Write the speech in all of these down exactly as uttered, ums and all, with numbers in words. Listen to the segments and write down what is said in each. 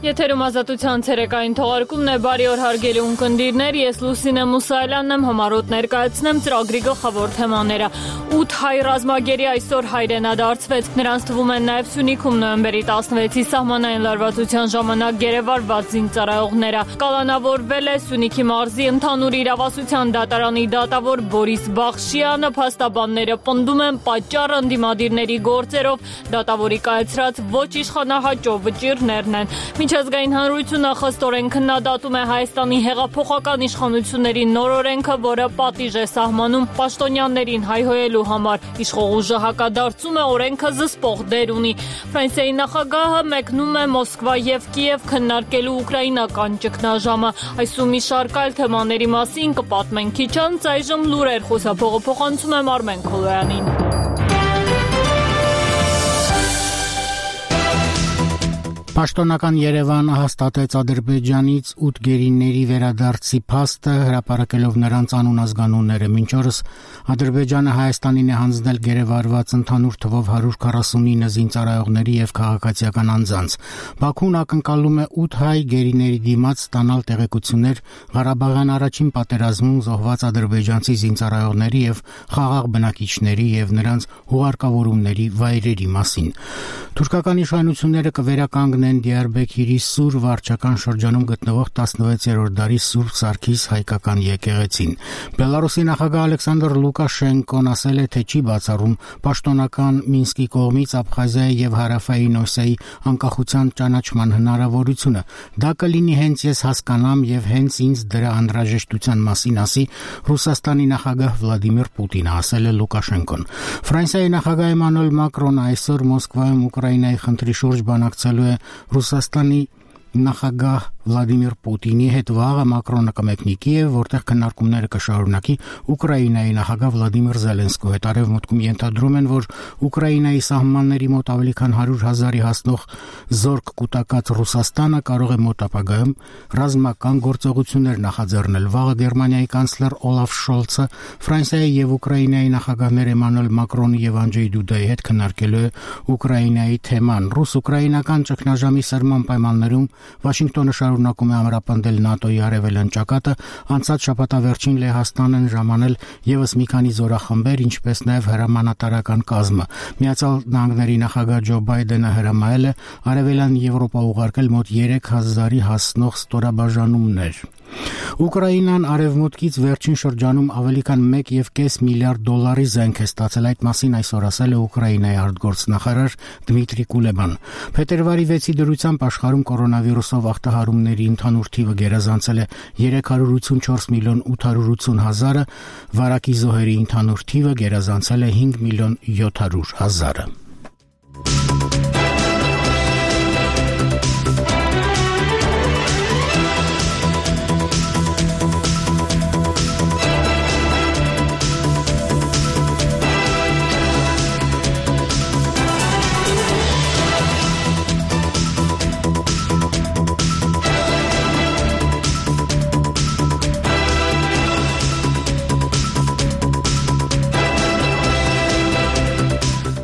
Եթերում ազատության ցերեկային թողարկումն է, բարի օր հարգելի ունկնդիրներ, ես Լուսինե Մուսայելյանն եմ, համառոտ ներկայացնեմ ծրագրի գլխավոր թեմաները։ ութ հայ ռազմագերի այսօր հայրենադարձվեց, նրանց թվում են նաև Սյունիքում նոյեմբերի տասնվեցի սահմանային լարվածության ժամանակ գերեվարված զինծառայողները։ Կալանավորվել է Սյունիքի մարզի ընդհանուր իրավասության դատարանի դատավոր Բորիս Բախշյանը, փաստաբանները պնդում են պատճառը ընդդիմադիրների գործերով դատավորի կայացրած ոչ իշխանահաճո վճիռներն են։ Միջազգային հանրությունը խստորեն քննադատում է Հայաստանի հեղափոխական իշխանությունների նոր օրենքը, որը պատիժ է սահմանում պաշտոնյաներին հայհոյելու համար։ Իշխող ուժը հակադարձում է, օրենքը զսպող դեր ունի։ Ֆրանսիայի նախագահը մեկնում է Մոսկվա եւ Կիև քննարկելու ուկրաինական ճգնաժամը։ Այսու մի շարք այլ թեմաների մասին կպատմենք քիչ անց, այժմ լուրեր, խոսափողը փոխանցում եմ Արմեն Քոլոյանին։ Պաշտոնական Երևանը հաստատեց Ադրբեջանից ութ գերիների վերադարձի փաստը, հրապարակելով նրանց անուն-ազգանունները։ Մինչ օրս Ադրբեջանը Հայաստանին է հանձնել գերեվարված ընդհանուր թվով հարյուր քառասունինը զինծառայողների եւ քաղաքացիական անձանց։ Բաքուն ակնկալում է ութ հայ գերիների դիմաց ստանալ տեղեկություններ Ղարաբաղյան առաջին պատերազմում զոհված ադրբեջանցի զինծառայողների եւ խաղաղ բնակիչների եւ նրանց հուղարկավորումների վայրերի մասին։ Թուրքական իշխանությունները կվերականգնեն Դիարբեքիրի Սուր վարչական շրջանում գտնվող տասնվեցերորդ դարի Սուրբ Սարգիս հայկական եկեղեցին։ Բելարուսի նախագահ Ալեքսանդր Լուկաշենկոն ասել է, թե չի բացառում պաշտոնական Մինսկի կողմից Աբխազիայի եւ Հարավային Օսեայի անկախության ճանաչման հնարավորությունը։ Դա կլինի հենց ես հասկանամ եւ հենց ինձ դրա անհրաժեշտության մասին ասի Ռուսաստանի նախագահ Վլադիմիր Պուտինը, ասել է Լուկաշենկոն։ Ֆրանսիայի նախագահ Էմանուել Մակրոնը այսօր Մոսկվայում Ուկրաինայի խնդրի շուրջ բանակցելու է Ռուսաստանի նախագահ Վլադիմիր Պուտինի հետ։ Վաղը Մակրոնը կմեկնի Կիև, որտեղ քննարկումները կշարունակի Ուկրաինայի նախագահ Վլադիմիր Զելենսկու հետ։ Արևմուտքում ենթադրում են, որ Ուկրաինայի սահմանների մոտ ավելի քան հարյուր հազարի հասնող զորք կուտակած Ռուսաստանը կարող է մոտ ապագայում ռազմական գործողություններ նախաձեռնել։ Վաղը Գերմանիայի կանցլեր Օլաֆ Շոլցը Ֆրանսիայի եւ Ուկրաինայի նախագահներ Էմանուել Մակրոնի եւ Անջեյ Դուդայի հետ քննարկելու է Ուկրաինայի թեման։ Ռուս-ուկրաինական ճգնաժամի սրման պայմաններում Վաշինգտոնը շարունակում է ամրապնդել ՆԱՏՕ-ի արևելյան ճակատը։ Անցած շաբաթավերջին Լեհաստանն ժամանել եւս մի քանի զորախմբեր, ինչպես նաեւ հրամանատարական կազմը։ Միացյալ Նահանգների նախագահ Ջո Բայդենը հրամայել է արևելյան Եվրոպա ուղարկել մոտ երեք հազարի հասնող ստորաբաժանումներ։ Ուկրաինան արևմուտքից վերջին շրջանում ավելի քան մեկ եւ կես միլիարդ դոլարի զենք է ստացել։ Այդ մասին այսօր ասել է Ուկրաինայի արտգործնախարար Դմիտրի Կուլեբան։ Փետրվարի վեցի դրությամբ աշխարհում կորոնավիրուսով ախտահարումների ընդհանուր թիվը գերազանցել է երեք հարյուր ութսունչորս միլիոն ութ հարյուր ութսուն հազարը, վարակի զոհերի ընդհանուր թիվը գերազանցել է հինգ միլիոն յոթ հարյուր հազարը։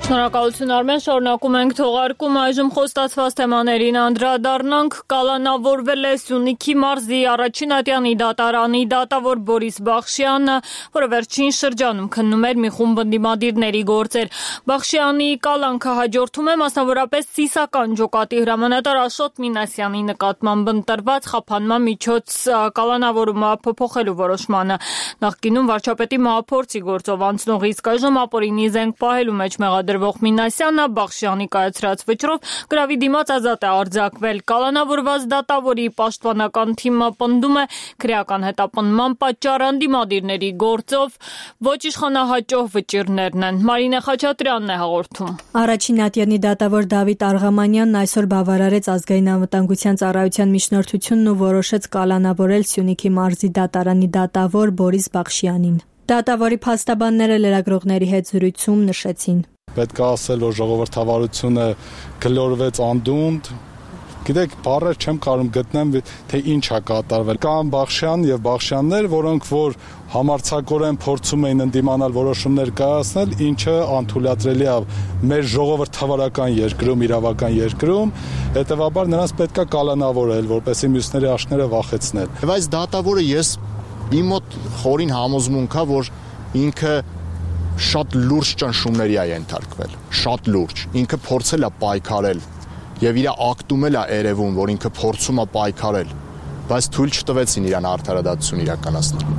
Շնորհակալություն Արմեն, շարունակում ենք թողարկում, այժմ խոստացված թեմաներին անդրադառնանք։ Կալանավորվել է Սյունիքի մարզի առաջին ատյանի դատարանի դատավոր Բորիս Բախշյանը, որը վերջին շրջանում քննում էր մի խումբ ընդդիմադիրների գործեր։ Բախշյանի կալանքը հաջորդում է մասնավորապես Սիսական ջոկատի հրամանատար Աշոտ Մինասյանի նկատմամբ ընտրված խափանման միջոց կալանավորումը փոփոխելու որոշմանը։ Նախկինում վարչապետի մահափորձի գործով անցնող իսկ այժմ ապօրինի զենք պահելու մեջ մեղադրվող Մինասյանը Բախշյանի կայացրած վճռով գրավի դիմաց ազատ է արձակվել։ Կալանավորված դատավորի պաշտպանական թիմը պնդում է քրեական հետապնդման պատճառը ընդդիմադիրների գործով ոչ իշխանահաճո վճիռներն են։ Մարինե Խաչատրյանն է հաղորդում։ Առաջին ատյանի դատավոր Դավիթ Արղամանյանն այսօր բավարարեց ազգային անվտանգության ծառայության միջնորդությունն ու որոշեց կալանավորել Սյունիքի մարզի դատարանի դատավոր Բորիս Բախշյանին։ Դատավորի փաստաբանները լրագրողների հետ զրույցում նշեցին. Պետք է ասել, որ ժողովրդավարությունը գլորվեց անդունդ, Գիտեք, բառեր չեմ կարող գտնեմ, թե ինչ է կատարվել։ Կան Բախշյան եւ Բախշյաններ, որոնք որ համարձակորեն փորձում էին ընդդիմանալ որոշումներ կայացնել, ինչը անթույլատրելի է մեր ժողովրդավարական երկրում, իրավական երկրում, հետևաբար նրանց պետք է կալանավորել, որպեսզի մյուսների աշները վախեցնել։ Եվ այս դատավորը ես իմ մոտ խորին համոզմունք է, որ ինքը շատ լուրջ ճնշումների է ենթարկվել, շատ լուրջ։ Ինքը փորձել է պայքարել եւ իր ակտում էլ է երևում, որ ինքը փորձում է պայքարել, բայց թույլ չտվեցին իրան արդարադատություն իրականացնել։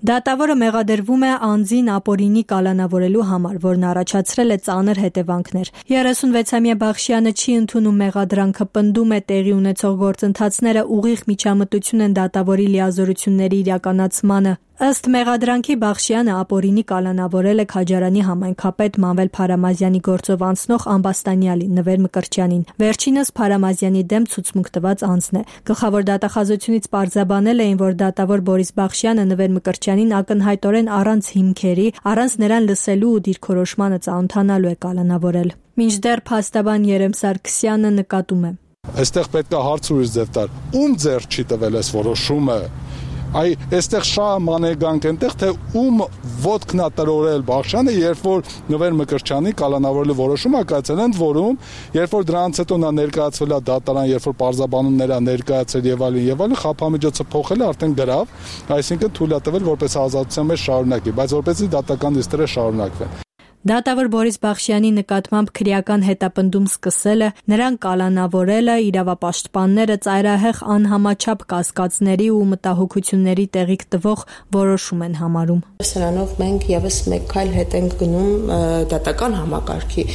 Դատավորը մեղադրվում է անձին ապօրինի կալանավորելու համար, որն առաջացրել է ծանր հետևանքներ։ երեսունվեցամյա Բախշյանը չի ընդունում մեղադրանքը, պնդում է տեղի ունեցող գործընթացները ուղիղ միջամտություն են դատավորի լիազորությունների իրականացմանը։ Ըստ մեղադրանքի Բախշյանը ապօրինի կալանավորել է Քաջարանի համայնքապետ Մանվել Փարամազյանի գործով անցնող ամբաստանյալի Նվեր Մկրտչյանին։ Վերջինս Փարամազյանի դեմ ցուցմունք տված անձն է։ Գլխավոր դատախազությունից պարզաբանել էին, որ դատավոր Բորիս Բախշյանը Նվեր Մկրտչյանին ակնհայտորեն առանց հիմքերի, առանց նրան լսելու ու դիրքորոշմանը ծանոթանալու է կալանավորել։ Մինչդեռ փաստաբան Երեմ Սարգսյանը նկատում է. Այստեղ պետք է հարց ուրիշ ձև տալ։ Ում ձեռ չի տվել այս որոշումը։ Այ այստեղ շահ մանեգանք այնտեղ թե ում ոտքն է տրորել Բախշյանը, երբ որ Նվեր Մկրտչյանի կալանավորելու որոշումը կայացել ընդ որում, երբ որ դրանից հետո նա ներկայացվել է դատարան, երբ որ պարզաբանումներ է ներկայացել եւ այլն եւ այլն, խափամիջոցը փոխել է արդեն գրավ, այսինքն թույլ է տվել որպես ազատության մեջ շարունակի, բայց որպեսզի դատական դիստերը շարունակվեն։ Դատավոր Բորիս Բախշյանի նկատմամբ քրեական հետապնդում սկսելը, նրան կալանավորելը, իրավապաշտպանները ծայրահեղ անհամաչափ կասկածների ու մտահոգությունների տեղիք տվող որոշում են համարում։ Սրանով մենք եւս մեկ քայլ հետ ենք գնում դատական համակարգի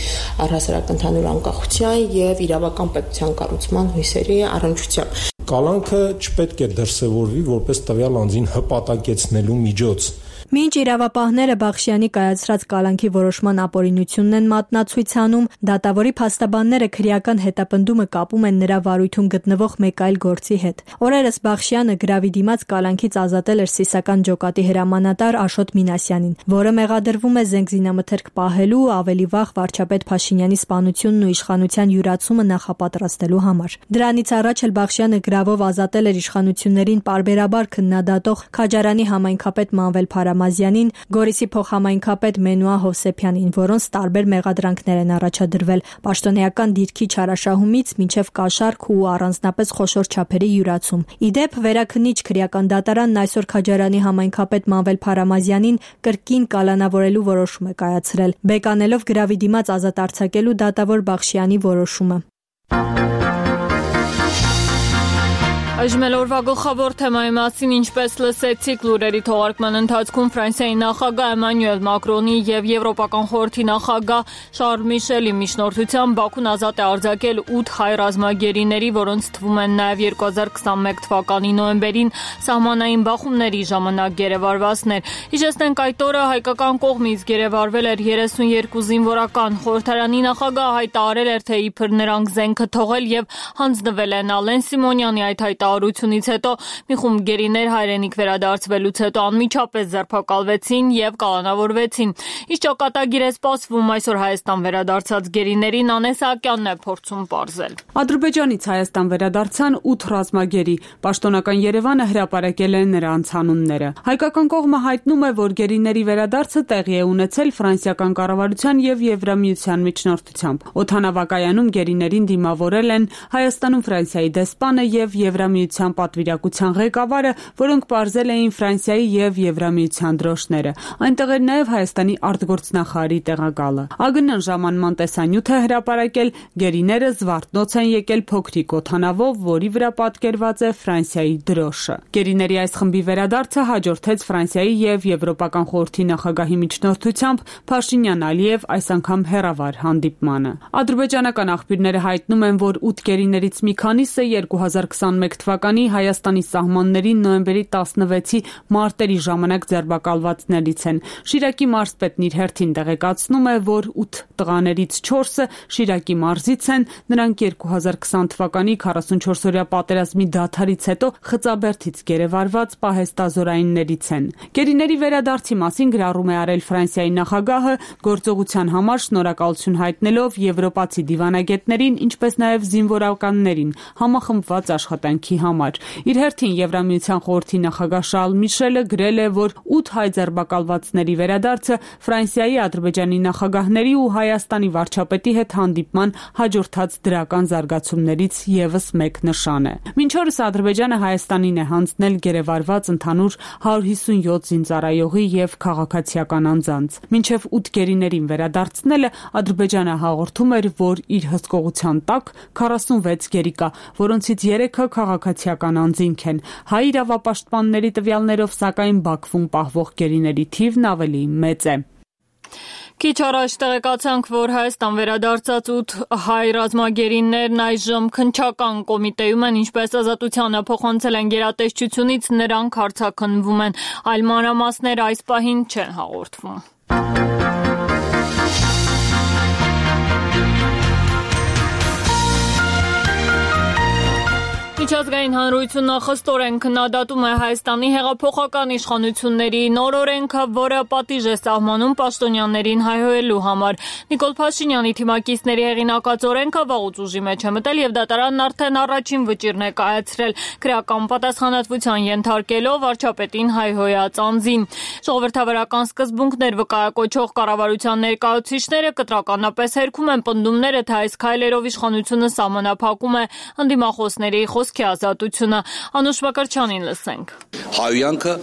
առհասարակ ընդհանուր անկախության եւ իրավական պետության կառուցման հույսերի առնչությամբ։ Կալանքը չպետք է դրսևորվի որպես տվյալ անձին հպատակեցնելու միջոց։ Մինչ իրավապահները Բախշյանի կայացրած կալանքի որոշման ապօրինությունն են մատնացույց անում, դատավորի փաստաբանները քրեական հետապնդումը կապում են նրա վարույթում գտնվող մեկ այլ գործի հետ։ Օրերս Բախշյանը գրավի դիմաց կալանքից ազատել էր Սիսական ջոկատի հրամանատար Աշոտ Մինասյանին, որը մեղադրվում է զենքզինամթերք պահելու ու ավելի վաղ վարչապետ Փաշինյանի սպանությունն ու իշխանության յուրացումը նախապատրաստելու համար։ Դրանից առաջ էլ Բախշյանը գրավով ազատել էր իշխանություններին պարբերաբար քննադատող Քաջարանի համայնքապետ Մանվել Փարամազյանին, Գորիսի փոխհամայնքապետ Մենուա Հովսեփյանին, որոնց տարբեր մեղադրանքներ են առաջադրվել՝ պաշտոնեական դիրքի չարաշահումից մինչև կաշառք ու առանձնապես խոշոր չափերի յուրացում։ Ի դեպ, վերաքննիչ քրեական դատարանն այսօր Քաջարանի համայնքապետ Մանվել Փարամազյանին կրկին կալանավորելու որոշում է կայացրել, բեկանելով գրավի դիմաց ազատ արձակելու դատավոր Բախշյանի որոշումը։ Այժմ էլ օրվա գլխավոր թեմայի մասին, ինչպես լսեցիք լուրերի թողարկման ընթացքում, Ֆրանսիայի նախագահ Էմանուել Մակրոնի եւ Եվրոպական խորհրդի նախագահ Շարլ Միշելի միջնորդությամբ Բաքուն ազատ է արձակել ութ հայ ռազմագերիների, որոնց թվում են նաեւ երկու հազար քսանմեկ թվականի նոյեմբերին սահմանային բախումների ժամանակ գերեվարվածներ։ Հիշեցնենք, այդ օրը հայկական կողմից գերեվարվել էր երեսունյերկու զինվորական։ Խորհրդարանի նախագահը հայտարարել էր, թե իբր նրանք զենքը թողել եւ հանձնվել են Ալեն Սիմոնյանի այդ հայտարարությունից հետո մի խումբ գերիներ հայրենիք վերադարձվելուց հետո անմիջապես ձերբակալվեցին եւ կալանավորվեցին։ Ինչ ճակատագիր է սպասվում այսօր Հայաստան վերադարձած գերիներին, Անես Սահակյանն է փորձում պարզել։ Ադրբեջանից Հայաստան վերադարձան ութ ռազմագերի։ Պաշտոնական Երևանը հրապարակել է նրանց անունները։ Հայկական կողմը հայտնում է, որ գերիների վերադարձը տեղի է ունեցել ֆրանսիական կառավարության եւ Եվրամիության միջնորդությամբ։ Օդանավակայանում գերիներին դիմավորել են Հայաստանում Ֆրանսիայի դեսպանը եւ Եվրամիության պատվիրակության ղեկավարը, որոնք պարզել էին Ֆրանսիայի եւ Եվրամիության դրոշները։ Այնտեղ էր նաեւ Հայաստանի արտգործնախարարի տեղակալը։ ԱԳՆ-ն ժամանման տեսանյութ է հրապարակել, գերիները Զվարթնոց են եկել փոքրիկ օդանավով, որի վրա պատկերված է Ֆրանսիայի դրոշը։ Գերիների այս խմբի վերադարձը հաջորդեց Ֆրանսիայի եւ Եվրոպական խորհրդի նախագահի միջնորդությամբ Փաշինյան-Ալիև այս անգամ հեռավար հանդիպմանը։ Ադրբեջանական աղբյուրները հայտնում են, որ ութ գերիներից մի քանիսը երկու հազար քսանմեկ թվականի Հայաստանի սահմաններին նոյեմբերի տասնվեցի մարտերի ժամանակ ձերբակալվածներից են։ Շիրակի մարզպետն իր հերթին տեղեկացնում է, որ ութ տղաներից չորսը Շիրակի մարզից են, նրանք երկու հազար քսան թվականի քառասունչորսօրյա պատերազմի դադարից հետո Խծաբերդից գերեվարված պահեստազորայիններից են։ Գերիների վերադարձի մասին գրառում է արել Ֆրանսիայի նախագահը, գործողության համար շնորհակալություն հայտնելով եվրոպացի դիվանագետներին, ինչպես նաև զինվորականներին համախմբված աշխատանքի կարգի համար։ Իր հերթին Եվրամիության խորհրդի նախագահ Շարլ Միշելը գրել է, որ ութ հայ ձերբակալվածների վերադարձը Ֆրանսիայի, Ադրբեջանի նախագահների ու Հայաստանի վարչապետի հետ հանդիպման հաջորդած դրական զարգացումներից ևս մեկ նշան է։ Մինչ օրս Ադրբեջանը Հայաստանին է հանձնել գերեվարված ընդհանուր հարյուր հիսունյոթ զինծառայողի եւ քաղաքացիական անձանց։ Մինչեւ ութ գերիներին վերադարձնելը Ադրբեջանը հաղորդում էր, որ իր հսկողության տակ քառասունվեց գերի կա, որոնցից երեքը քաղաքացիական անձինք են։ Հայ իրավապաշտպանների տվյալներով, սակայն Բաքվում պահվող գերիների թիվն ավելի մեծ է։ Քիչ առաջ տեղեկացանք, որ Հայաստան վերադարձած ութ հայ ռազմագերիներն այժմ քննչական կոմիտեում են, ինչպես Ազատությանը փոխանցել են գերատեսչությունից, նրանք հարցաքննվում են, այլ մանրամասներ այս պահին չեն հաղորդվում։ Միջազգային հանրությունը խստորեն քննադատում է Հայաստանի հեղափոխական իշխանությունների նոր օրենքը, որը պատիժ է սահմանում պաշտոնյաներին հայհոյելու համար։ Նիկոլ Փաշինյանի թիմակիցների հեղինակած օրենքը վաղուց ուժի մեջ է մտել եւ դատարանն արդեն առաջին վճիռն է կայացրել, քրեական պատասխանատվության ենթարկելով վարչապետին հայհոյած անձին։ Ժողովրդավարական սկզբունքներ վկայակոչող կառավարության ներկայացուցիչները կտրականապես հերքում են պնդումները, թե այս քայլերով իշխանությունը սահմանափակում է ընդդիմախոսների խոսքի ազատությունը։ Անուշ Մակարչյանին լսենք։ Հայոյանքը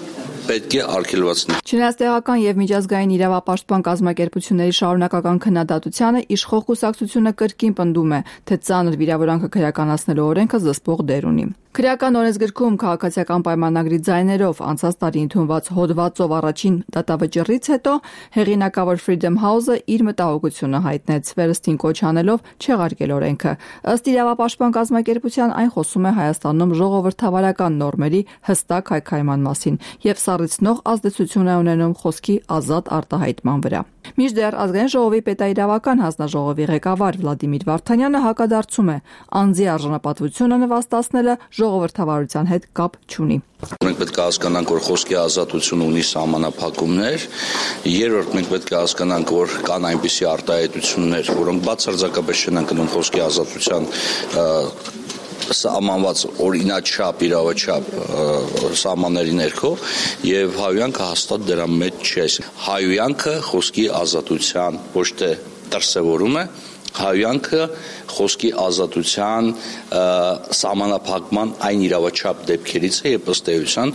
պետք է արգելվացնել։ Չնայած տեղական եւ միջազգային իրավապաշտպան կազմակերպությունների շարունակական քննադատությանը, իշխող կուսակցությունը կրկին պնդում է, թե ծանր վիրավորանքը քրեականացնելու օրենքը զսպող դեր ունի։ Քրեական օրենսգրքում քաղաքացիական պայմանագրի ձայներով անցած տարի ընդունված հոդվածով առաջին դատավճռից հետո հեղինակավոր Freedom House-ը իր մտահոգությունը հայտնեց, վերստին կոչ անելով չեղարկել օրենքը։ Ըստ իրավապաշտպան կազմակերպության, այն խոսում է Հայաստանում ժողովրդավարական նորմերի հստակ հայքայման մասին եւ սառեցնող ազդեցություն է ունենում խոսքի ազատ արտահայտման վրա։ Մինչդեռ Ազգային ժողովի պետաիրավական հանձնաժողովի ղեկավար Վլադիմիր Վարդանյանը հակադարձում է, անձի արժանապատվությունը նվաստացնելը ժողովրդավարության հետ կապ չունի։ Մենք պետք է հասկանանք, որ խոսքի ազատությունը ունի սահմանափակումներ։ Երրորդ, մենք պետք է հասկանանք, որ կան այնպիսի արտահայտություններ, որոնք բացարձակապես չեն ընկնում խոսքի ազատության սահմանված օրինաչափ, իրավաչափ սահմանների ներքո եւ հայոյանքը հաստատ դրա մեջ չէ։ Հայոյանքը խոսքի ազատության ոչ թե դրսևորում է, հայոյանքը խոսքի ազատության սահմանափակման այն իրավաչափ դեպքերից է, երբ ըստ էության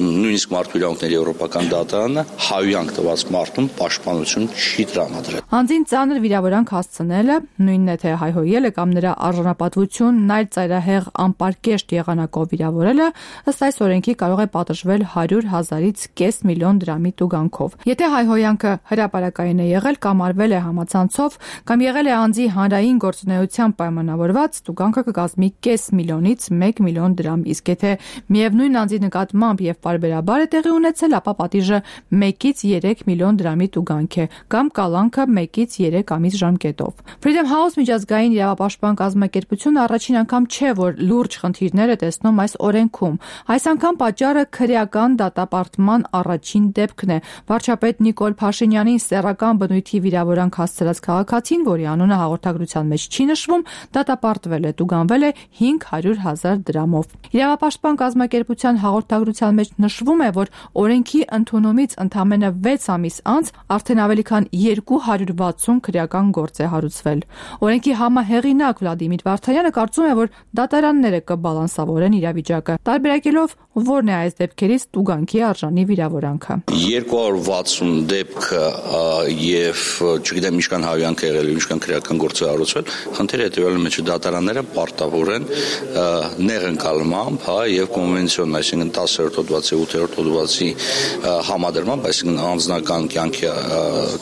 նույնիսկ մարդու իրավունքների եվրոպական դատարանը հայոյանք տված մարդուն պաշտպանություն չի տրամադրել։ Անձին ծանր վիրավորանք հասցնելը, նույնն է թե հայհոյելը կամ նրա արժանապատվությունն այլ ծայրահեղ անպարկեշտ եղանակով վիրավորելը, ըստ այս օրենքի կարող է պատժվել հարյուր հազարից կես միլիոն դրամի տուգանքով։ Եթե հայհոյանքը հրապարակային է եղել կամ արվել է համացանցով կամ եղել է անձի հանրային գործունեությամբ պայմանավորված, տուգանքը կկազմի կես միլիոնից մեկ միլիոն դրամ, իսկ եթե միևնույն անձի նկատմամբ եւ պարբերաբար է տեղի ունեցել, ապա պատիժը մեկից երեք միլիոն դրամի տուգանք է կամ կալանքը մեկից երեք ամիս ժամկետով։ Freedom House միջազգային իրավապաշտպան կազմակերպությունը առաջին անգամ չէ, որ լուրջ խնդիրներ է տեսնում այս օրենքում։ Այս անգամ պատճառը քրեական դատապարտման առաջին դեպքն է։ Վարչապետ Նիկոլ Փաշինյանին սեռական բնույթի վիրավորանք հասցրած քաղաքացին, որի անունը հաղորդագրության մեջ չի նշվում, դատապարտվել է, տուգանվել է հինգ հարյուր հազար դրամով։ Իրավապաշտպան կազմակերպության հաղորդագրության մեջ նշվում է, որ օրենքի ընդունումից ընդամենը վեց ամիս անց արդեն ավելի քան երկու հարյուր վաթսուն քրեական գործ է հարուցվել։ Օրենքի համահեղինակ Վլադիմիր Վարդանյանը կարծում է, որ դատարանները կբալանսավորեն իրավիճակը, տարբերակելով որն է այս դեպքերից տուգանքի արժանի վիրավորանքը։ երկու հարյուր վաթսուն դեպքը եւ չգիտեմ ինչքան հայոյանք եղել, ինչքան քրեական գործ է հարուցվել, խնդիրը հետեւյալի մեջ դատարանները պարտավոր են նեղընկալմամբ, հա, եւ կոնվենցիոն, այսինքն տասերորդ հոդվածի, ութերորդ հոդվածի համադրմամբ, այսինքն անձնական կյանքի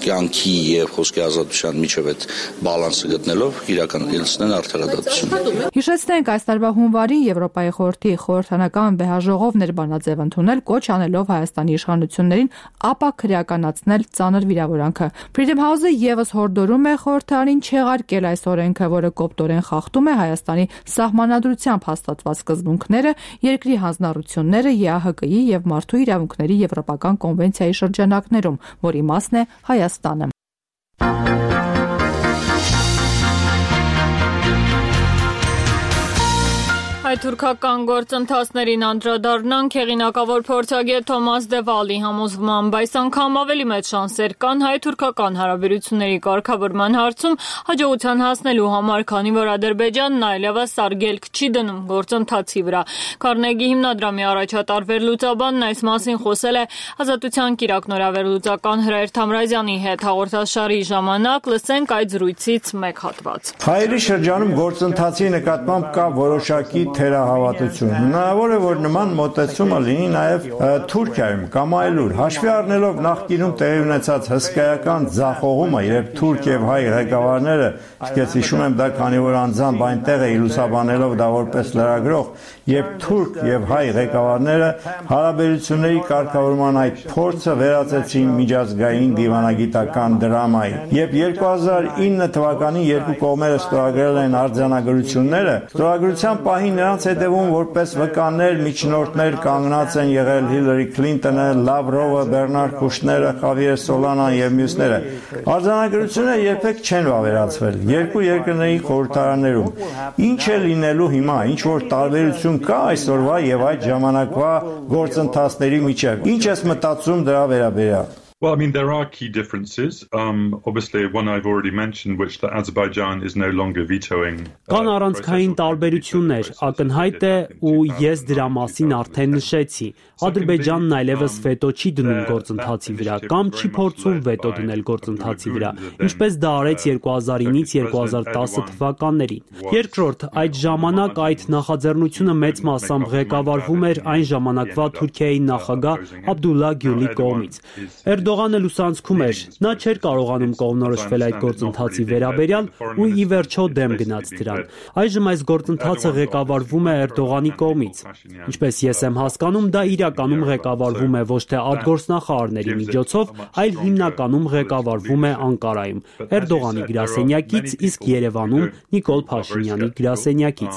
կյանքի եւ խոսքի ազատության միջև այդ բալանսը գտնելով իրականացնեն արդարադատություն։ Հիշեցնենք, այս տարվա հունվարին Եվրոպայի խորհրդի խորհրդանական վեհաժողովն էր բանաձև ընդունել, կոչ անելով Հայաստանի իշխանություններին ապա քրեականացնել ծանր վիրավորանքը։ Freedom House-ը եւս հորդորում է խորհրդարանին չեղարկել այս օրենքը, որը կոպտորեն խախտում է Հայաստանի սահմանադրությամբ հաստատված սկզբունքները, երկրի հանձնառությունները ԵԱՀԿ-ի եւ Մարդու իրավունքների եվրոպական կոնվենցիայի շրջանակներում, որի մասն է Հայաստանը։ Հայ-թուրքական գործընթացներին անդրադառնանք հեղինակավոր փորձագետ Թոմաս Դևալի համոզմամբ այս անգամ ավելի մեծ շանսեր կան հայ-թուրքական հարաբերությունների կարգավորման հարցում հաջողության հասնելու համար, քանի որ Ադրբեջանն այլևս արգելք չի դնում գործընթացի վրա։ Քարնեգի հիմնադրամի առաջատար վերլուծաբանն այս մասին խոսել է Ազատության կիրակ նորավերլուծական Հրայր Թամրազյանի հետ հաղորդաշարի ժամանակ, լսենք այդ զրույցից մեկ հատված։ Հայերի շրջանում գործընթացի նկատմամբ կա որոշակի թերահավատություն։ Հնարավոր է, որ նման մոտեցումը լինի նաև Թուրքիայում կամ այլուր, հաշվի առնելով նախկինում տեղի ունեցած հսկայական ձախողումը, երբ թուրք եւ հայ ղեկավարները, իսկ հիշում եմ դա, քանի որ անձամբ այնտեղ էի լուսաբանելով դա որպես լրագրող, երբ թուրք եւ հայ ղեկավարները հարաբերությունների կարգավորման այդ փորձը վերածեցին միջազգային դիվանագիտական դրամայի։ Երբ երկու հազար ինը թվականին երկու կողմերը ստորագրել են արձանագրությունները, ստորագրության պահին նրանց հետևում որպես վկաներ, միջնորդներ կանգնած են եղել Հիլարի Քլինտոնը, Լավրովը, Բեռնարդ Կուշները, Խավիեր Սոլանան եւ մյուսները։ Արձանագրությունները երբեք չեն վավերացվել երկու երկրների խորհրդարաններում։ Ինչ է լինելու հիմա, ինչ որ տարբերություն կա այսօրվա եւ այդ ժամանակվա գործընթացների միջեւ։ Ինչ ես մտածում դրա վերաբերյալ։ Well, I mean, there are key differences. Um, obviously, one I've already mentioned, which that Azerbaijan is no longer vetoing. Կան առանցքային տարբերություններ, ակնհայտ է ու ես դրա մասին արդեն նշեցի։ Ադրբեջանն այլևս վետո չի դնում գործընթացի վրա կամ չի փորձում վետո դնել գործընթացի վրա, ինչպես դա արեց երկու հազար ինից երկու հազար տասը թվականներին։ Երկրորդ, այդ ժամանակ այդ նախաձեռնությունը մեծ մասամբ ղեկավարվում էր այն ժամանակվա Թուրքիայի նախագահ Աբդուլլա Գյուլի կողմից։ Էրդողանը լուսանցքում էր, նա չէր կարողանում կողմնորոշվել այդ գործընթացի վերաբերյալ ու ի վերջո դեմ գնաց դրան։ Այժմ այս գործընթացը ղեկավարվում է Էրդողանի կողմից։ Ինչպես ես եմ հասկանում, դա իրականում ղեկավարվում է ոչ թե արտգործնախարարների միջոցով, այլ հիմնականում ղեկավարվում է Անկարայում, Էրդողանի գրասենյակից, իսկ Երևանում Նիկոլ Փաշինյանի գրասենյակից։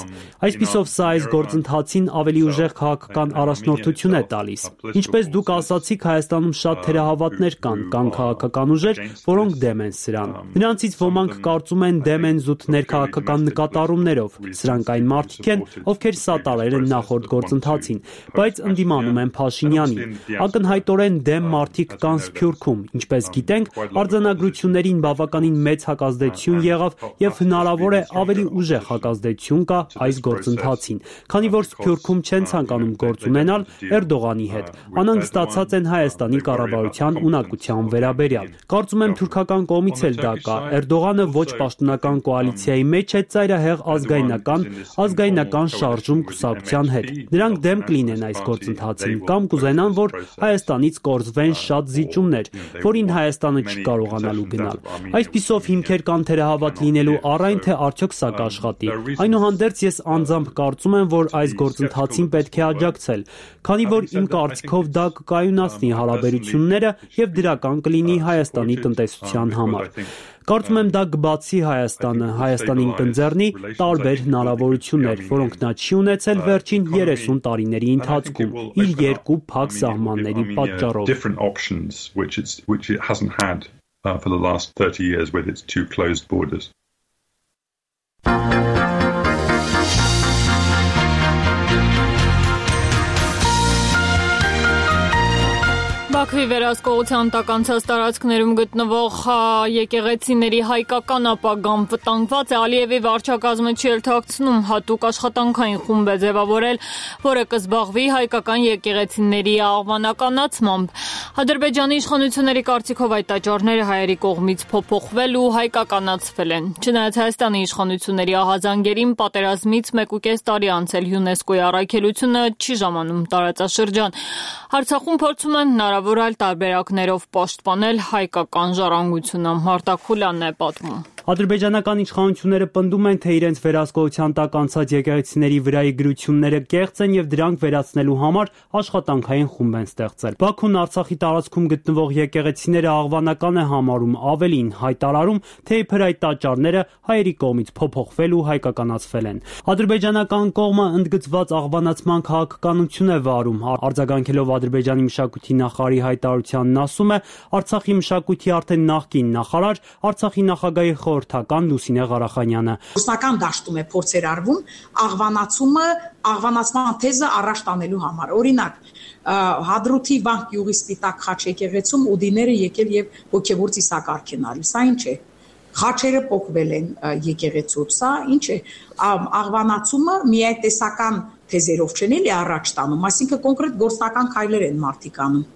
Այսպիսով սա այս գործընթացին ավելի ուժեղ քաղաքական առաջնորդություն է տալիս։ Ինչպես դուք ասացիք, Հայաստանում շատ թերահավատներ կան, կան քաղաքական ուժեր, որոնք դեմ են սրան։ Նրանցից ոմանք կարծում են դեմ են զուտ ներքաղաքական նկատառումներով։ Սրանք այն մարդիկ են, ովքեր սատարել են նախորդ գործընթացին, բայց ընդդիմանում են Փաշինյանին։ Ակնհայտորեն դեմ մարդիկ կան Սփյուռքում, ինչպես գիտենք, արձանագրություններին բավականին մեծ հակազդեցություն եղավ եւ հնարավոր է ավելի ուժեղ հակազդեցություն կա այս գործընթացին, քանի որ Սփյուռքում չեն ցանկանում գործ ունենալ Էրդողանի հետ։ Անհանգստացած են Հայաստանի կառավարության ունակության վերաբերյալ։ Կարծում եմ թուրքական կողմից էլ դա կա։ Էրդողանը ոչ պաշտոնական կոալիցիայի մեջ է ծայրահեղ ազգայնական, ազգայնական շարժում կուսակցության հետ։ Նրանք դեմ կլինեն այս գործընթացին կամ կուզենան, որ Հայաստանից կորզվեն շատ զիջումներ, որին Հայաստանը չի կարողանալու գնալ։ Այսպիսով հիմքեր կան թերահավատ լինելու առայն թե արդյոք սա կաշխատի։ Այնուհանդերձ ես անձամբ կարծում եմ, որ այս գործընթացին պետք է աջակցել, քանի որ իմ կարծիքով դա կկայունացնի հարաբերությունները եւ դրական կլինի Հայաստանի տնտեսության համար։ Կարծում եմ դա կբացի Հայաստանը, Հայաստանին կընձեռնի տարբեր հնարավորություններ, որոնք նա չի ունեցել վերջին երեսուն տարիների ընթացքում, իր երկու փակ սահմանների պատճառով։ For the last thirty years with its two closed borders. Բաքվի վերահսկողության տակ անցած տարածքներում գտնվող եկեղեցիների հայկական ապագան վտանգված է։ Ալիևի վարչակազմը չի էլ թաքցնում, հատուկ աշխատանքային խումբ է ձևավորել, որը կզբաղվի հայկական եկեղեցիների աղվանականացմամբ։ Ադրբեջանի իշխանությունների կարծիքով այդ տաճարները հայերի կողմից փոփոխվել ու հայկականացվել են։ Չնայած Հայաստանի իշխանությունների ահազանգերին պատերազմից մեկուկես տարի անցել ՅՈՒՆԵՍԿՕ-ի առաքելությունը չի ժամանում տարածաշրջան։ Արցախում փորձում են հնարավոր այլ տարբերակներով պաշտպանել հայկական ժառանգությունը։ Մարտակ Խուլյանն է պատմում։ Ադրբեջանական իշխանությունները պնդում են, թե իրենց վերահսկողության տակ անցած եկեղեցիների վրայի գրությունները կեղծ են եւ դրանք վերացնելու համար աշխատանքային խումբ են ստեղծել։ Բաքուն Արցախի տարածքում գտնվող եկեղեցիները աղվանական է համարում, ավելին հայտարարում, թե իբր այդ տաճարները հայերի կողմից փոփոխվել ու հայկականացվել են։ Ադրբեջանական կողմը ընդգծված աղվանացման քաղաքականություն է վարում, արձագանքելով Ադրբեջանի մշակույթի նախարարի հայտարարությանն ասում է, Արցախի մշակույթի արդեն նախկին նախարար, Արցախի նախագահի խորհրդական Լուսինե Ղարախանյանը։ Ռուսական դաշտում է փորձեր արվում աղվանացումը, աղվանացման թեզը առաջ տանելու համար։ Օրինակ, Հադրութի վանք գյուղի Սպիտակ խաչ եկեղեցում ուդիները եկել եւ հոգեվոր ծիսակարգ են արել։ Սա ինչ է։ Խաչերը փոխվել են եկեղեցուց, սա ինչ է, աղվանացումը միայտեսական թեզերով չեն էլի առաջ տանում, այսինքն կոնկրետ գործնական քայլեր են մարդիկ անում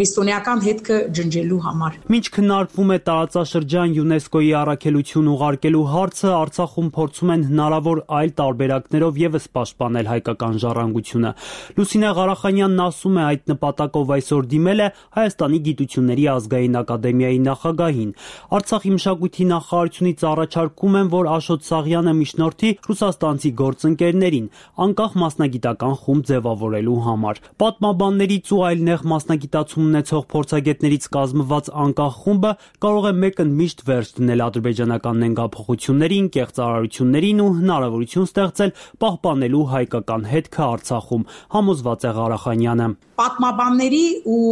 քրիստոնեական հետքը ջնջելու համար։ Մինչ քննարկվում է տարածաշրջան ՅՈՒՆԵՍԿՕ-ի առաքելություն ուղարկելու հարցը, Արցախում փորձում են հնարավոր այլ տարբերակներով եւս պաշտպանել հայկական ժառանգությունը։ Լուսինե Ղարախանյանն ասում է, այդ նպատակով այսօր դիմել է Հայաստանի Գիտությունների ազգային ակադեմիայի նախագահին։ Արցախի մշակույթի նախարարությունից առաջարկում են, որ Աշոտ Սաղյանը միջնորդի ռուսաստանցի գործընկերներին անկախ մասնագիտական խումբ ձևավորելու համար։ Պատմաբաններից ու այլ նեղ մասնագիտացում ունեցող փորձագետներից կազմված անկախ խումբը կարող է մեկընդմիշտ վերջ դնել ադրբեջանական նենգափոխություններին, կեղծարարություններին ու հնարավորություն ստեղծել պահպանելու հայկական հետքը Արցախում, համոզված է Ղարախանյանը։ Պատմաբանների ու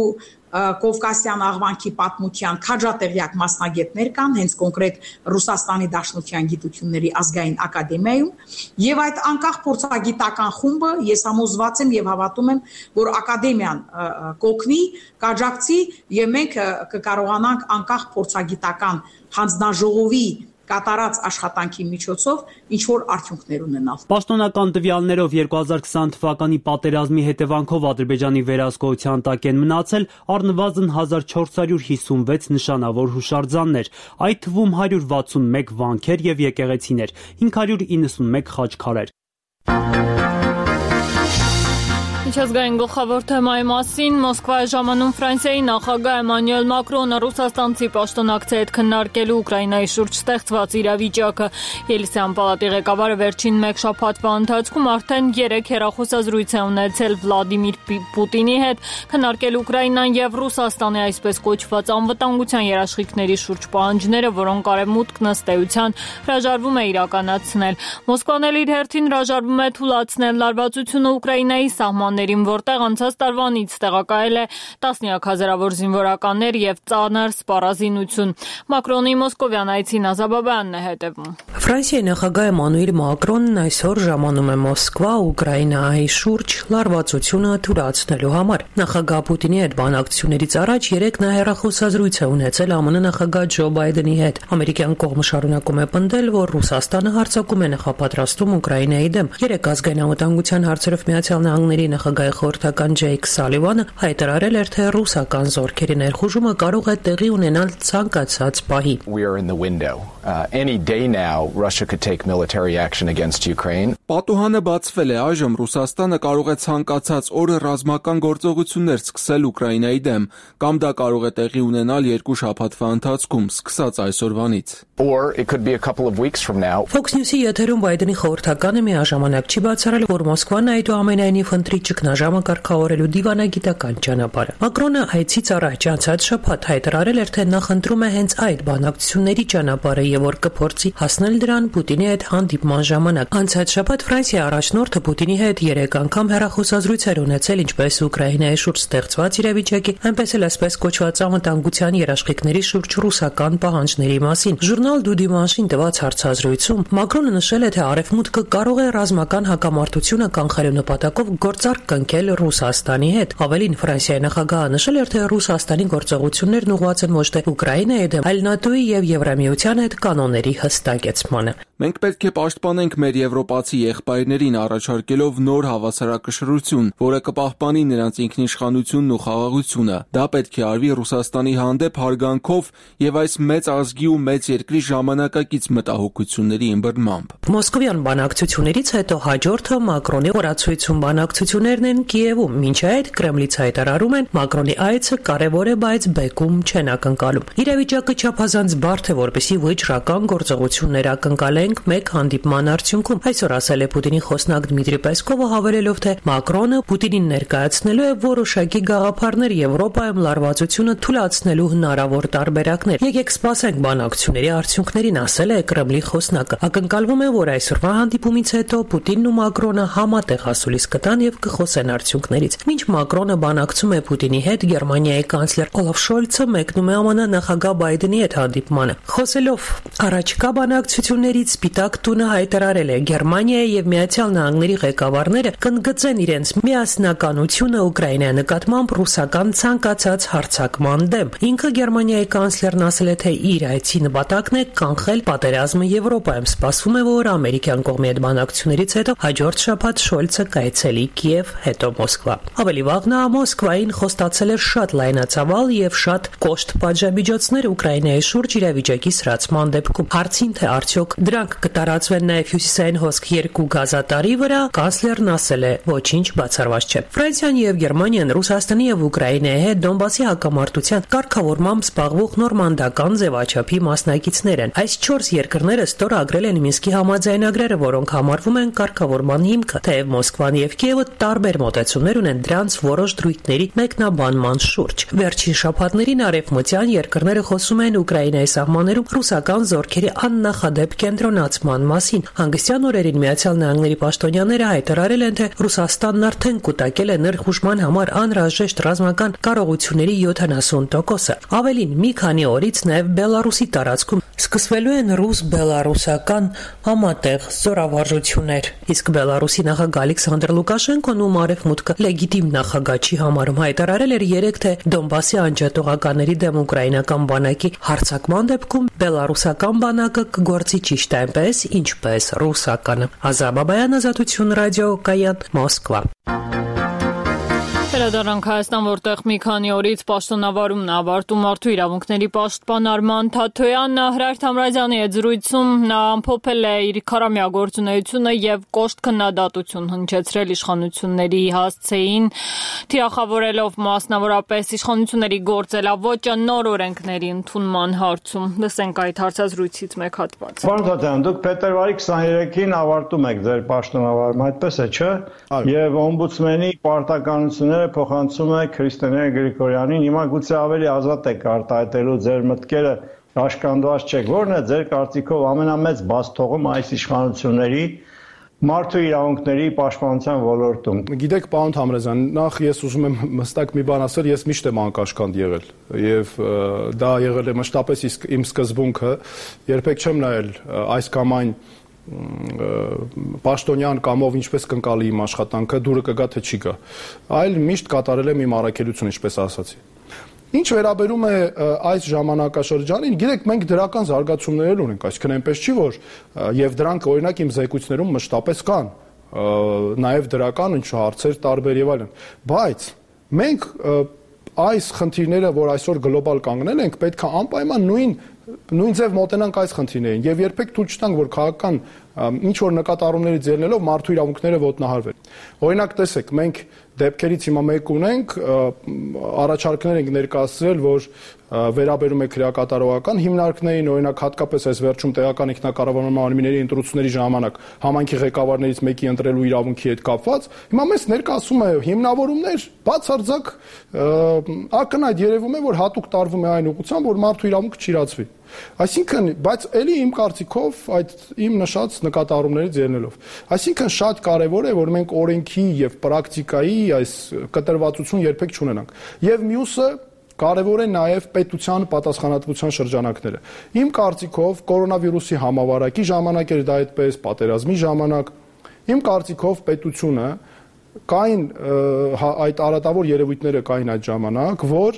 Կովկասյան աղվանքի պատմության քաջատեղյակ մասնագետներ կան հենց կոնկրետ Ռուսաստանի Դաշնության գիտությունների ազգային ակադեմիայում եւ այդ անկախ փորձագիտական խումբը ես համոզված եմ եւ հավատում եմ, որ ակադեմիան կօգնի, կաջակցի եւ մենք կկարողանանք անկախ փորձագիտական հանձնաժողովի կատարած աշխատանքի միջոցով ինչ որ արդյունքներ ունենալ։ Պաշտոնական տվյալներով երկու հազար քսան թվականի պատերազմի հետևանքով Ադրբեջանի վերահսկողության տակ են մնացել առնվազն հազար չորս հարյուր հիսունվեց նշանավոր հուշարձաններ, այդ թվում հարյուր վաթսունմեկ վանքեր եւ եկեղեցիներ, հինգ հարյուր իննսունմեկ խաչքարեր։ Միջազգային գլխավոր թեմայի մասին Մոսկվայի ժամանում Ֆրանսիայի նախագահ Էմանուել Մակրոնը ռուսաստանցի պաշտոնակցի հետ քննարկելու Ուկրաինայի շուրջ ստեղծված իրավիճակը։ Ելսեան պալատի ղեկավարը վերջին մեկ շաբաթվա ընթացքում արդեն երեք հեռախոսազրույց է ունեցել Վլադիմիր Պուտինի հետ, քննարկել Ուկրաինան եւ Ռուսաստանի այսպես կոչված անվտանգության երաշխիքների շուրջ պահանջները, որոնք արևմուտքն ըստ էության հրաժարվում է իրականացնել։ Մոսկվան էլ իր հերթին հրաժարվում է թույլատրել լարվածությունը Ուկրաինայի սահման որտեղ անցած տարվանից տեղակայել է տասնյակ հազարավոր զինվորականներ եւ ծանր սպառազինություն։ Մակրոնի մոսկովյան այցին Ազաբաբյանն է հետևում։ Ֆրանսիայի նախագահ Էմանուել Մակրոնն այսօր ժամանում է Մոսկվա Ուկրաինայի շուրջ լարվածությունը թույլատրելու համար։ Նախագահ Պուտինի հետ բանակցություններից առաջ երեք նա հեռախոսազրույց է ունեցել ԱՄՆ նախագահ Ջո Բայդենի հետ։ Ամերիկյան կողմը շարունակում է պնդել, որ Ռուսաստանը հարձակում է նախապատրաստում Ուկրաինայի դեմ։ Երեք ազգային անվտանգության հարցերով Միացյալ Նահանգների նախագահի խորհրդական Ջեյք Սալիվանը հայտարարել էր, թե ռուսական զորքերի ներխուժումը կարող է տեղի ունենալ ցանկացած պահի։ Պատուհանը բացվել է, այժմ Ռուսաստանը կարող է ցանկացած օրը ռազմական գործողություններ սկսել Ուկրաինայի դեմ, կամ դա կարող է տեղի ունենալ երկու շաբաթվա ընթացքում, սկսած այսօրվանից։ Fox News-ի եթերում Բայդենի խորհրդականը միաժամանակ չի բացառել, որ Մոսկվան այդուամենայնիվ ընտրի ճգնաժամը կարգավորելու դիվանագիտական ճանապարհը։ Մակրոնը այցից առաջ անցած շաբաթ հայտարարել էր, թե նախընտրում է հենց այդ բանակցությունների ճանապարհը եւ որ կփորձի հասնել դրան Պուտինի հետ հանդիպման ժամանակ։ Անցած շաբաթ Ֆրանսիայի առաջնորդը Պուտինի հետ երեք անգամ հեռախոսազրույցեր ունեցել ինչպես Ուկրաինայի շուրջ ստեղծված իրավիճակի, այնպես էլ այսպես կոչված անվտանգության երաշխիքների շուրջ ռուսական պահանջների մասին։ Ժուրնալ Du Dimanche-ին տված հարցազրույցում Մակրոնը նշել է, թե Արևմուտքը կարող է ռազմական հակամարտությունը կանխելու նպատակով գործարք կնքել Ռուսաստանի հետ։ Ավելին, Ֆրանսիայի նախագահը նշել էր, թե Ռուսաստանի գործողություններն ուղղված են ոչ թե Ուկրաինայի դեմ, այլ ՆԱՏՕ-ի եւ Եվրամիության հետ կանոնների հստակեցմանը։ Մենք պետք է պաշտպանենք մեր եվրոպացի եղբայրներին առաջարկելով նոր հավասարակշռություն, որը կպահպանի նրանց ինքնիշխանությունն ու խաղաղությունը։ Դա պետք է արվի Ռուսաստանի հանդեպ հարգանքով եւ այս մեծ ազգի ու մեծ երկրի ժամանակակից մտահոգությունների ըմբռնմամբ։ Մոսկովյան բանակցություններից հետո հաջորդը Մակրոնի օրացույցում բանակցություններն են Կիևում, մինչ այդ Կրեմլից հայտարարում են Մակրոնի այցը կարևոր է, բայց բեկում չեն ակնկալում։ Իրավիճակը չափազանց բարդ է, որպեսզի վճռական գործողություններ ակնկալեն ենք մեկ հանդիպման արդյունքում, այսօր ասել է Պուտինի խոսնակ Դմիտրի Պեսկովը, հավելելով, թե Մակրոնը Պուտինին ներկայացնելու է որոշակի գաղափարներ Եվրոպայում լարվածությունը թույլատնելու հնարավոր տարբերակներ։ Եկեք սպասենք բանակցությունների արդյունքներին, ասել է Կրեմլի խոսնակը։ Ակնկալվում է, որ այսօրվա հանդիպումից հետո Պուտինն ու Մակրոնը համատեղ ասուլիս կտան եւ կխոսեն արդյունքներից։ Մինչ Մակրոնը բանակցում է Պուտինի հետ, Գերմանիայի կանցլեր Օլաֆ Շոլցը մեկնում է ԱՄՆ նախագահ Բայդենի հետ հանդիպմանը։ Խոսելով առաջկա բանակցություններից, Սպիտակ տունը հայտարարել է, Գերմանիայի եւ Միացյալ Նահանգների ղեկավարները կընդգծեն իրենց միասնականությունը Ուկրաինայի նկատմամբ ռուսական ցանկացած հարձակման դեմ։ Ինքը Գերմանիայի կանցլերն ասել է, թե իր այցի նպատակն է կանխել պատերազմը Եվրոպայում։ Սպասվում է, որ ամերիկյան կողմի հետ բանակցություններից հետո հաջորդ շաբաթ Շոլցը կայցելի Կիև, հետո Մոսկվա։ Ավելի վաղ նա Մոսկվային խոստացել էր շատ լայնածավալ եւ շատ կոշտ պատժամիջոցներ Ուկրաինայի շուրջ իրավիճակի սրացման դեպքում։ Հարցին, թե արդյոք դրանք կտարածվեն նաեւ հյուսիսային հոսք երկու գազատարի վրա, կանցլերն ասել է, ոչինչ բացառված չէ։ Ֆրանսիան եւ Գերմանիան Ռուսաստանի եւ Ուկրաինայի հետ Դոնբասի հակամարտության կարգավորմամբ զբաղվող նորմանդական ձևաչափի մասնակիցներ են։ Այս չորս երկրները ստորագրել են Մինսկի համաձայնագրերը, որոնք համարվում են կարգավորման հիմքը, թեև Մոսկվան եւ Կիևը տարբեր մոտեցումներ ունեն դրանց որոշ դրույթների մեկնաբանման շուրջ։ Վերջին շաբաթներին արևմտյան երկրները խոսում են Ուկրաինայի սահմաններում ռուսական զորքերի աննախադեպ կենտրոնացման մասին։ Հանգստյան օրերին Միացյալ Նահանգների պաշտոնյաները հայտարարել են, թե Ռուսաստանն արդեն կուտակել է ներխուժման համար անհրաժեշտ ռազմական կարողությունների յոթանասուն տոկոսը։ Ավելին, մի քանի օրից նաև Բելարուսի տարածքում սկսվելու են ռուս-բելարուսական համատեղ զորավարժություններ։ Իսկ Բելարուսի նախագահ Ալեքսանդր Լուկաշենկոն, ում արևմուտքը լեգիտիմ նախագահ չի համարում, հայտարարել էր երեկ, թե Դոնբասի անջատողականների դեմ ուկրաինական բանակի հարձակման դեպքում բելարուսական բանակը կգործի ճիշտ այնպես, ինչպես ռուսականը։ Ազատ Բաբայան, Ազատություն ռադիո, Կայան, Մոսկվա։ Վերադառնանք Հայաստան, որտեղ մի քանի օրից պաշտոնավարումն ավարտում մարդու իրավունքների պաշտպան Արման Թաթոյանն Հրայր Թամրազյանի հետ զրույցում նա ամփոփել է իր քարամյա գործունեությունը եւ կոշտ քննադատություն հնչեցրել իշխանությունների հասցեին, թիրախավորելով մասնավորապես իշխանությունների գործելավոճը նոր օրենքների ընդունման հարցում։ Լսենք այդ հարցազրույցից մեկ հատված։ Պարոն Թաթոյան, դուք փետրվարի քսաներեքին ավարտում եք ձեր պաշտոնավարումը, այդպես է, չէ՞։ Եվ օմբուդսմենի պարտականությունները փոխանցում է Քրիստինե Գրիգորյանին։ Հիմա գուցե ավելի ազատ եք արտահայտելու ձեր մտքերը, աշկանդված չեք։ Որն է ձեր կարծիքով ամենամեծ բացթողումը այս իշխանությունների մարդու իրավունքների պաշտպանության ոլորտում։ Գիտեք, պարոն Թամրազյան, նախ ես ուզում եմ հստակ մի բան ասել, ես միշտ եմ անկաշկանդ եղել եւ դա եղել է մշտապես իսկ իմ սկզբունքը, երբեք չեմ նայել այս կամ այն պաշտոնյան կամով ինչպես կընկալի իմ աշխատանքը, դուրը կգա թե չի գա, այլ միշտ կատարել եմ իմ առաքելությունը, ինչպես ասացի։ Ինչ վերաբերում է այս ժամանակաշրջանին, գիտեք, մենք դրական զարգացումներ ունենք, այսինքն այնպես չի, որ եւ դրանք օրինակ իմ զեկույցներում մշտապես կան, նաեւ դրական ինչ հարցեր տարբեր եւ այլն, բայց մենք այս խնդիրները, որ այսօր գլոբալ կանգնել ենք, պետք է անպայման նույն նույն ձև մոտենանք այս խնդիրներին եւ երբեք թույլ չտանք, որ քաղաքական ինչ որ նկատառումներից ելնելով մարդու իրավունքները ոտնահարվեն։ Օրինակ տեսեք, մենք դեպքերից հիմա մեկ ունենք, առաջարկներ ենք ներկայացրել, որ վերաբերում է քրեակատարողական հիմնարկներին, օրինակ հատկապես այս վերջում տեղական ինքնակառավարման մարմինների ընտրությունների ժամանակ համայնքի ղեկավարներից մեկի ընտրելու իրավունքի հետ կապված, հիմա մեզ ներկայացում է հիմնավորումներ, բացարձակ ակնհայտ երևում է, որ հատուկ տարվում է այն ուղղությամբ, որ մարդու իրավունքը չիրացվի։ Այսինքն, բայց ելի իմ կարծիքով այդ իմ նշած նկատառումներից ելնելով, այսինքն շատ կարևոր է, որ մենք օրենքի եւ պրակտիկայի այս կտրվածություն երբեք չունենանք։ Եվ մյուսը կարևոր է նաեւ պետության պատասխանատվության շրջանակները։ Իմ կարծիքով կորոնավիրուսի համավարակի ժամանակ էր դա այդպես, պատերազմի ժամանակ, իմ կարծիքով պետությունը կային այդ արատավոր երևույթները կային այդ ժամանակ, որ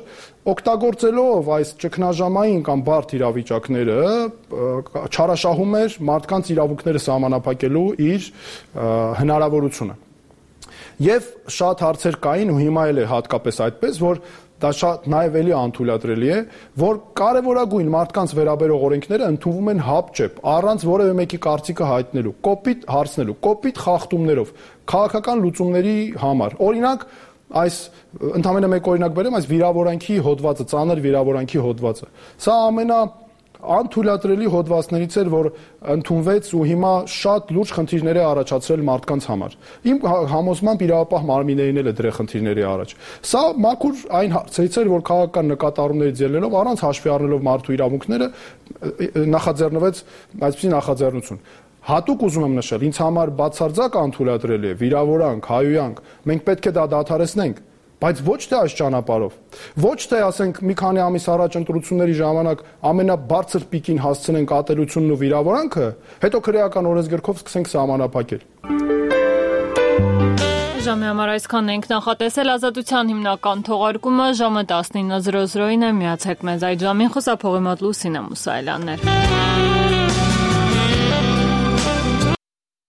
օգտագործելով այս ճգնաժամային կամ բարդ իրավիճակները չարաշահում էր մարդկանց իրավունքները սահմանափակելու իր հնարավորությունը։ Եվ շատ հարցեր կային ու հիմա էլ է հատկապես այդպես, որ դա շատ նաև էլի անթույլատրելի է, որ կարևորագույն մարդկանց վերաբերող օրենքները ընդունվում են հապճեպ, առանց որևէ մեկի կարծիքը հայտնելու, կոպիտ հարցնելու, կոպիտ խախտումներով, քաղաքական լուծումների համար։ Օրինակ, այս ընդամենը մեկ օրինակ բերեմ, այս վիրավորանքի հոդվածը, ծանր վիրավորանքի հոդվածը։ Սա ամենա անթույլատրելի հոդվածներից էր, որ ընդունվեց ու հիմա շատ լուրջ խնդիրներ է առաջացրել մարդկանց համար։ Իմ համոզմամբ իրավապահ մարմիններին էլ է դրել խնդիրների առաջ։ Սա մաքուր այն հարցերից էր, որ քաղաքական նկատառումներից ելնելով առանց հաշվի առնելով մարդու իրավունքները նախաձեռնվեց այսպիսի նախաձեռնություն։ Հատուկ ուզում եմ նշել, ինձ համար բացարձակ անթույլատրելի է վիրավորանք, հայոյանք, մենք պետք է դա դադարեցնենք, բայց ոչ թե այս ճանապարհով։ Ոչ թե ասենք մի քանի ամիս առաջ ընտրությունների ժամանակ ամենաբարձր պիկին հասցնենք ատելությունն ու վիրավորանքը, հետո քրեական օրենսգրքով սկսենք սահմանափակել։ Ժամի համար այսքանն ենք նախատեսել Ազատության հիմնական թողարկումը ժամը տասնինը զրո զրոին է, միացեք մեզ այդ ժամին, խոսափողի մոտ Լուսինե Մուսայելյանն էր։